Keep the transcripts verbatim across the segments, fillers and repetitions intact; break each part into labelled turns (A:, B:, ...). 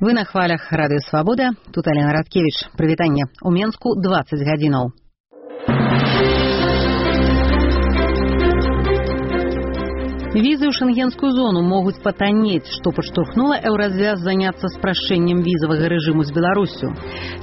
A: Вы на хвалях Радыё Свабода. Тут Алена Радкевич. Прывітанне. У Менску дваццаць гадзінаў. Визы ў шенгенскую зону могуць патаннець, што падштурхнула еўразвяз заняцца спрашчэннем візавага рэжыму з Беларусю.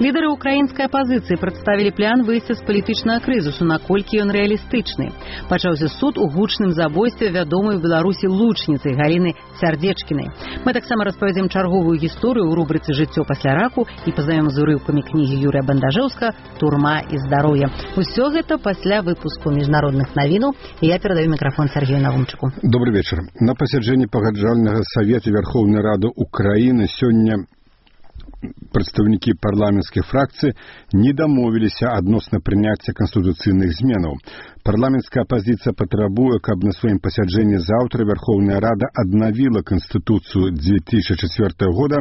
A: Лідары украінскай апазіцыі прадставілі план выйсця з палітычнага крызісу, наколькі ён рэалістычны. Пачаўся суд у гучным забойстве вядомай у Беларусі лучніцы Галіны Сярдзечкінай. Мы таксама распавядзем чарговую гісторыю ў рубрыцы «Жыццё пасля раку» і пазнаём з урыўкамі кнігі Юрыя Бандажэўска «Турма і здароўе». Усё гэта пасля выпуску міжнародных навінаў. І я перадаю мікрафон Сергею Навумчыку.
B: Добрый вечер. На пасяджэнні пагаджальнага Савета Верховнай Рады Украіны сёння прадстаўнікі парламенцкіх фракцый не дамовіліся адносна прыняцця канстытуцыйных зменаў. Парламенцкая апазіцыя патрабуе, каб на сваім пасяджэнні заўтра Верховная Рада аднавіла Канстытуцыю две тысячи четвёртого года,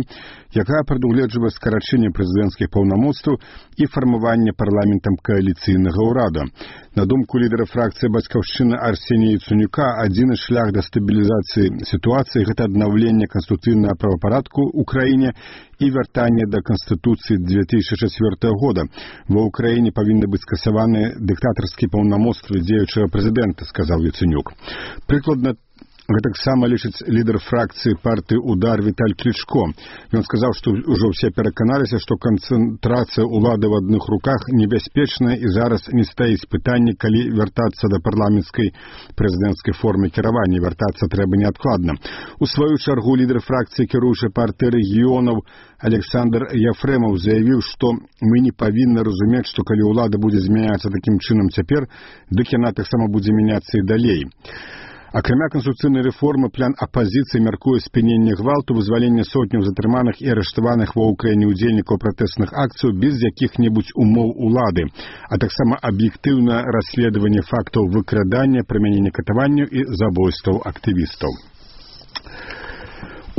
B: якая прадугледжвае скарачэнне прэзідэнцкіх паўнамоцтваў і фармаванне парламентам кааліцыйнага ўрада. На думку лідара фракцыі «Бацькаўшчына» Арсенія Яценюка, адзіны шлях да стабілізацыі сітуацыі – гэта аднаўленне канстытуцыйнага правапарадку ў краіне і вяртанне да Канстытуцыі две тысячи четвёртого года. Ва ўкраіне павінны быць скасаваны дыктатарскія паўнамоцтвы дзеючага прэзідэнта, сказаў Яценюк. Прыкладна гэтаксама лічыць лідар фракцыі партыі «Удар» Віталь Клічко. Ён сказаў, што ўжо ўсе пераканаліся, што канцэнтрацыя ўлады ў адных руках небяспечная і зараз не стаіць пытанне, калі вяртацца да парламенцкай прэзідэнцкай формы кіравання. Вяртацца трэба неадкладна. У сваю чаргу лідар фракцыі кіруючай партыі рэгіёнаў Александр Яфрэмаў заявіў, што мы не павінны разумець, што калі ўлада будзе змяняцца такім чынам цяпер, дык яна таксама будзе мяняцца і далей. Акрамя канстытуцыйнай рэформы, план апазіцыі мяркуе спыненне гвалту, вызваленне сотняў затрыманых і арыштаваных ва ўкраіне ўдзельнікаў пратэсных акцый без якіх-небудзь умоў улады, а таксама аб'ектыўнае расследаванне фактаў выкрадання, прымянення катаванняў і забойстваў актывістаў.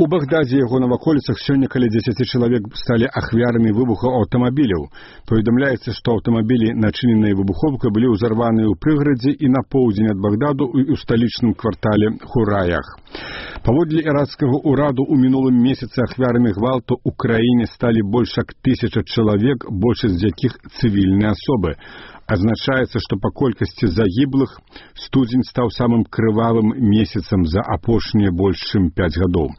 B: У Багдадзе і яго наваколіцах сёння каля дзесяці чалавек сталі ахвярамі выбуху аўтамабіляў. Паведамляецца, што аўтамабілі, начыненыя выбухоўкай, былі ўзарваныя ў прыгарадзе і на поўдзень ад Багдаду і ў сталічным квартале Хураях. Паводле іракскага ўраду, у мінулым месяцы ахвярамі гвалту ў краіне сталі больш як тысяча чалавек, большасць з якіх цывільныя асобы. Азначаецца, што па колькасці загіблых студзень стаў самым крывавым месяцам за апошнія больш чым пяць гадоў.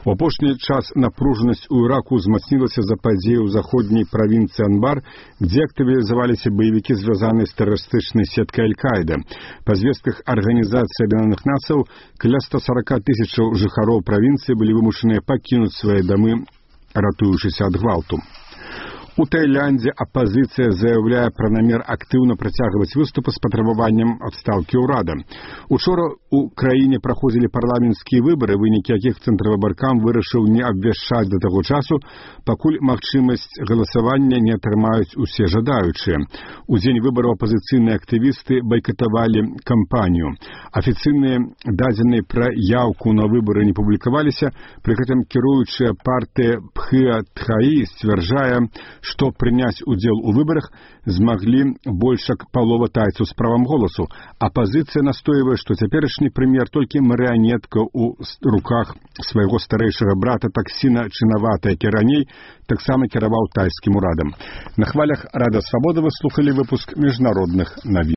B: У апошні час напружанасць у Іраку ўзмацнілася за падзеі ў заходняй правінцыі Анбар, дзе актывізаваліся баевікі, звязаныя з тэрарыстычнай сеткай Аль-Каіда. Па звестках Арганізацыі Аб'яднаных Нацыяў, каля ста сорока тысячаў жыхароў правінцыі былі вымушаныя пакінуць свае дамы, ратуючыся ад гвалту. У Таіландзе апазіцыя заяўляе пра намер актыўна працягваць выступы з патрабаваннем адстаўкі ўрада. Учора у краіне праходзілі парламенцкія выбары, вынікі якіх цэнтравыбаркам вырашыў не абвяшчаць да таго часу, пакуль магчымасць галасавання не атрымаюць усе жадаючыя. У дзень выбараў апазіцыйныя актывісты байкатавалі кампанію. Афіцыйныя дадзеныя пра яўку на выбары не публікаваліся, пры гэтым кіруючая партыя Пхыя Тхаі сцвярджае, што прыняць удзел у выбарах змаглі больш як палова тайцаў з правам голасу. Апазіцыя настойвае, што цяперашні прэм'ер толькі марыянетка ў руках свайго старэйшага брата Таксіна Чынавата, які раней таксама кіраваў тайскім урадам. На хвалях Радыё Свабода вы слухалі выпуск міжнародных навін.